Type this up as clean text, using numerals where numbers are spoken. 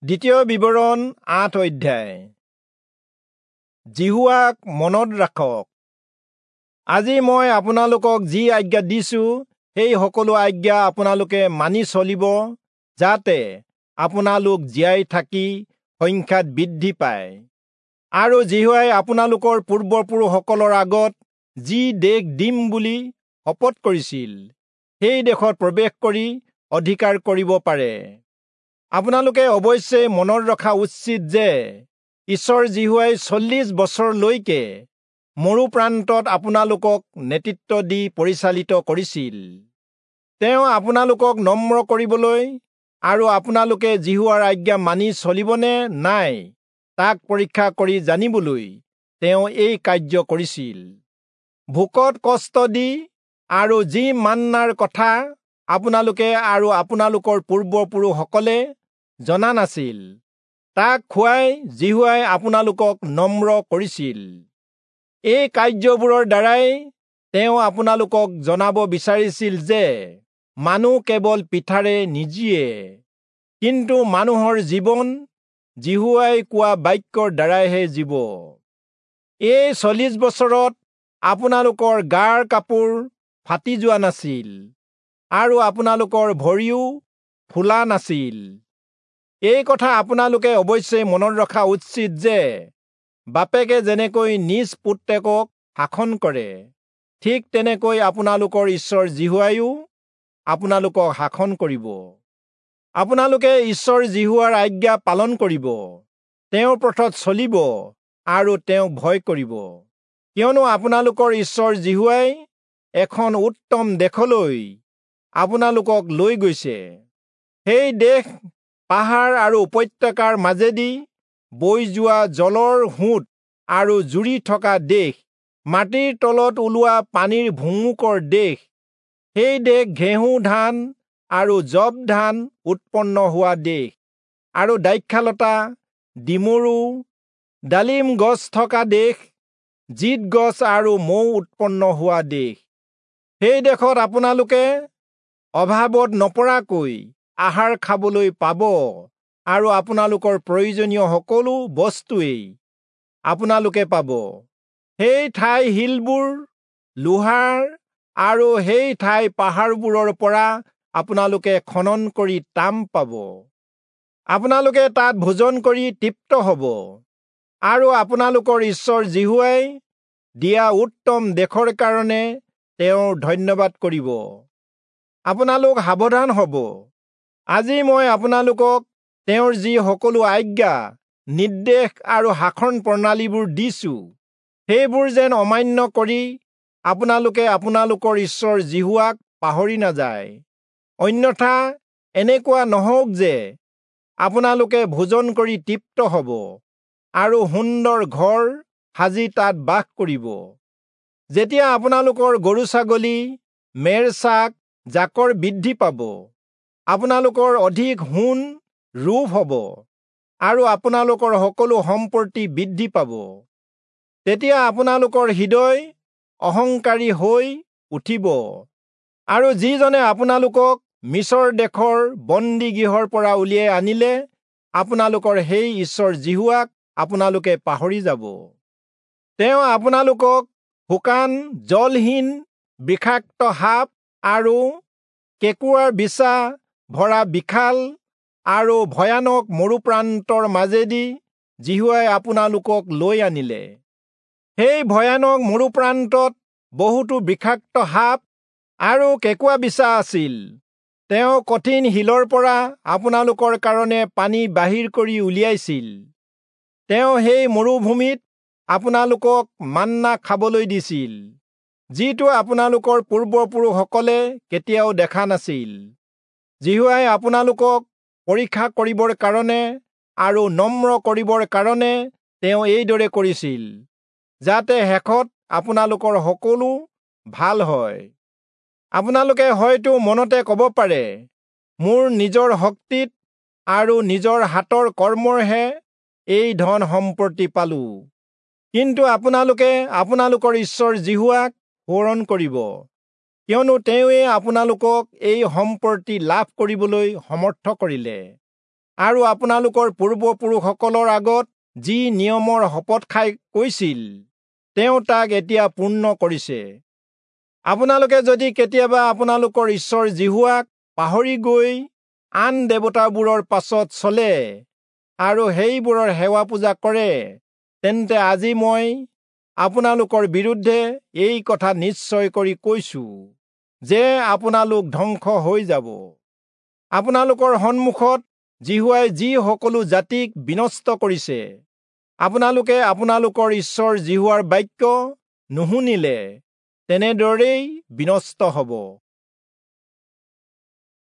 দ্বিতীয় বিৱৰণ ৮ অধ্যায়। যিহোৱাক মনত ৰাখক। আজি মই আপোনালোকক যি আজ্ঞা দিছো সেই সকলো আজ্ঞা আপোনালোকে মানি চলিব, যাতে আপোনালোক জীয়াই থাকি সংখ্যাত বৃদ্ধি পায় আৰু যিহোৱাই আপোনালোকৰ পূৰ্বপুৰুষসকলৰ আগত যি দেশ দিম বুলি শপত কৰিছিল সেই দেশত প্ৰৱেশ কৰি অধিকাৰ কৰিব পাৰে। আপোনালোকে অৱশ্যে মনত ৰখা উচিত যে ঈশ্বৰ যিহোৱাই 40 বছৰলৈকে মৰুপ্ৰান্তত আপোনালোকক নেতৃত্ব দি পৰিচালিত কৰিছিল। তেওঁ আপোনালোকক নম্ৰ কৰিবলৈ আৰু আপোনালোকে যিহোৱাৰ আজ্ঞা মানি চলিবনে নাই তাক পৰীক্ষা কৰি জানিবলৈ তেওঁ এই কাৰ্য কৰিছিল। ভোকত কষ্ট দি আৰু যি মান্নাৰ কথা আপোনালোকে আৰু আপোনালোকৰ পূৰ্বপুৰুষসকলে জনা নাছিল তাক খুৱাই যিহোৱাই আপোনালোকক নম্ৰ কৰিছিল। এই কাৰ্যবোৰৰ দ্বাৰাই তেওঁ আপোনালোকক জনাব বিচাৰিছিল যে মানুহ কেৱল পিঠাৰে নিজীয়ে, কিন্তু মানুহৰ জীৱন যিহোৱাই কোৱা বাক্যৰ দ্বাৰাইহে জীৱ। এই 40 বছৰত আপোনালোকৰ গাৰ কাপোৰ ফাটি যোৱা নাছিল আৰু আপোনালোকৰ ভৰিও ফুলা নাছিল। এই কথা আপোনালোকে অৱশ্যে মনত ৰখা উচিত যে বাপেকে যেনেকৈ নিজ পুত্ৰেকক শাসন কৰে, ঠিক তেনেকৈ আপোনালোকৰ ঈশ্বৰ যিহোৱাইও আপোনালোকক শাসন কৰিব। আপোনালোকে ঈশ্বৰ যিহোৱাৰ আজ্ঞা পালন কৰিব, তেওঁৰ পথত চলিব আৰু তেওঁক ভয় কৰিব, কিয়নো আপোনালোকৰ ঈশ্বৰ যিহোৱাই এখন উত্তম দেশলৈ আপোনালোকক লৈ গৈছে। সেই দেশ পাহাৰ আৰু উপত্যকাৰ মাজেদি বৈ যোৱা জলৰ সোঁত আৰু জুৰি থকা দেশ, মাটিৰ তলত ওলোৱা পানীৰ ভুমুকৰ দেশ। সেই দেশ ঘেঁহু ধান আৰু যৱ ধান উৎপন্ন হোৱা দেশ আৰু দ্ৰাক্ষালতা, ডিমৰু, ডালিম গছ থকা দেশ, জিত গছ আৰু মৌ উৎপন্ন হোৱা দেশ। সেই দেশত আপোনালোকে অভাৱত নপৰাকৈ আহাৰ খাবলৈ পাব আৰু আপোনালোকৰ প্ৰয়োজনীয় সকলো বস্তুৱেই আপোনালোকে পাব। সেই ঠাই শিলবোৰ লোহাৰ আৰু সেই ঠাই পাহাৰবোৰৰ পৰা আপোনালোকে খনন কৰি তাম পাব। আপোনালোকে তাত ভোজন কৰি তৃপ্ত হ'ব আৰু আপোনালোকৰ ঈশ্বৰ যিহোৱাই দিয়া উত্তম দেশৰ কাৰণে তেওঁৰ ধন্যবাদ কৰিব। আপোনালোক সাৱধান হ'ব। আজি মই আপোনালোকক তেওঁৰ যি সকলো আজ্ঞা, নিৰ্দেশ আৰু শাসন প্ৰণালীবোৰ দিছো, সেইবোৰ যেন অমান্য কৰি আপোনালোকে আপোনালোকৰ ঈশ্বৰ যিহোৱাক পাহৰি নাযায়। অন্যথা এনেকুৱা নহওক যে আপোনালোকে ভোজন কৰি তৃপ্ত হ'ব আৰু সুন্দৰ ঘৰ সাজি তাত বাস কৰিব। যেতিয়া আপোনালোকৰ গৰু ছাগলী, মেৰ ছাগ জাকৰ বৃদ্ধি পাব, আপোনালোকৰ অধিক সোণ ৰূপ হ'ব আৰু আপোনালোকৰ সকলো সম্পত্তি বৃদ্ধি পাব, তেতিয়া আপোনালোকৰ হৃদয় অহংকাৰী হৈ উঠিব আৰু যিজনে আপোনালোকক মিছৰ দেশৰ বন্দীগৃহৰ পৰা উলিয়াই আনিলে আপোনালোকৰ সেই ঈশ্বৰ যিহোৱাক আপোনালোকে পাহৰি যাব। তেওঁ আপোনালোকক শুকান, জলহীন, বিষাক্ত সাপ আৰু কেঁকোৰাৰ বিছা ভৰা বিশাল আৰু ভয়ানক মৰুপ্ৰান্তৰ মাজেদি যিহোৱাই আপোনালোকক লৈ আনিলে। সেই ভয়ানক মৰুপ্ৰান্তত বহুতো বিষাক্ত সাপ আৰু কেঁকোৰা বিছা আছিল। তেওঁ কঠিন শিলৰ পৰা আপোনালোকৰ কাৰণে পানী বাহিৰ কৰি উলিয়াইছিল। তেওঁ সেই মৰুভূমিত আপোনালোকক মান্না খাবলৈ দিছিল, যিটো আপোনালোকৰ পূৰ্বপুৰুষসকলে কেতিয়াও দেখা নাছিল। যিহোৱাই আপোনালোকক পৰীক্ষা কৰিবৰ কাৰণে আৰু নম্ৰ কৰিবৰ কাৰণে তেওঁ এইদৰে কৰিছিল, যাতে শেষত আপোনালোকৰ সকলো ভাল হয়। আপোনালোকে হয়তো মনতে ক'ব পাৰে, মোৰ নিজৰ শক্তিত আৰু নিজৰ হাতৰ কৰ্মৰহে এই ধন সম্পত্তি পালো। কিন্তু আপোনালোকে আপোনালোকৰ ঈশ্বৰ যিহোৱাক সোঁৱৰণ কৰিব, কিয়নো তেওঁৱে আপোনালোকক এই সম্পত্তি লাভ কৰিবলৈ সমৰ্থ কৰিলে। আৰু আপোনালোকৰ পূৰ্বপুৰুষসকলৰ আগত যি নিয়মৰ শপত খাই কৈছিল, তেওঁ তাক এতিয়া পূৰ্ণ কৰিছে। আপোনালোকে যদি কেতিয়াবা আপোনালোকৰ ঈশ্বৰ যিহোৱাক পাহৰি গৈ আন দেৱতাবোৰৰ পাছত চলে আৰু সেইবোৰৰ সেৱা পূজা কৰে, তেন্তে আজি মই আপোনালোকৰ বিৰুদ্ধে এই কথা নিশ্চয় কৰি কৈছো যে আপোনালোক ধ্বংস হৈ যাব। আপোনালোকৰ সন্মুখত যিহোৱাই যি সকলো জাতিক বিনষ্ট কৰিছে, আপোনালোকে আপোনালোকৰ ঈশ্বৰ যিহোৱাৰ বাক্য নুশুনিলে তেনেদৰেই বিনষ্ট হ'ব।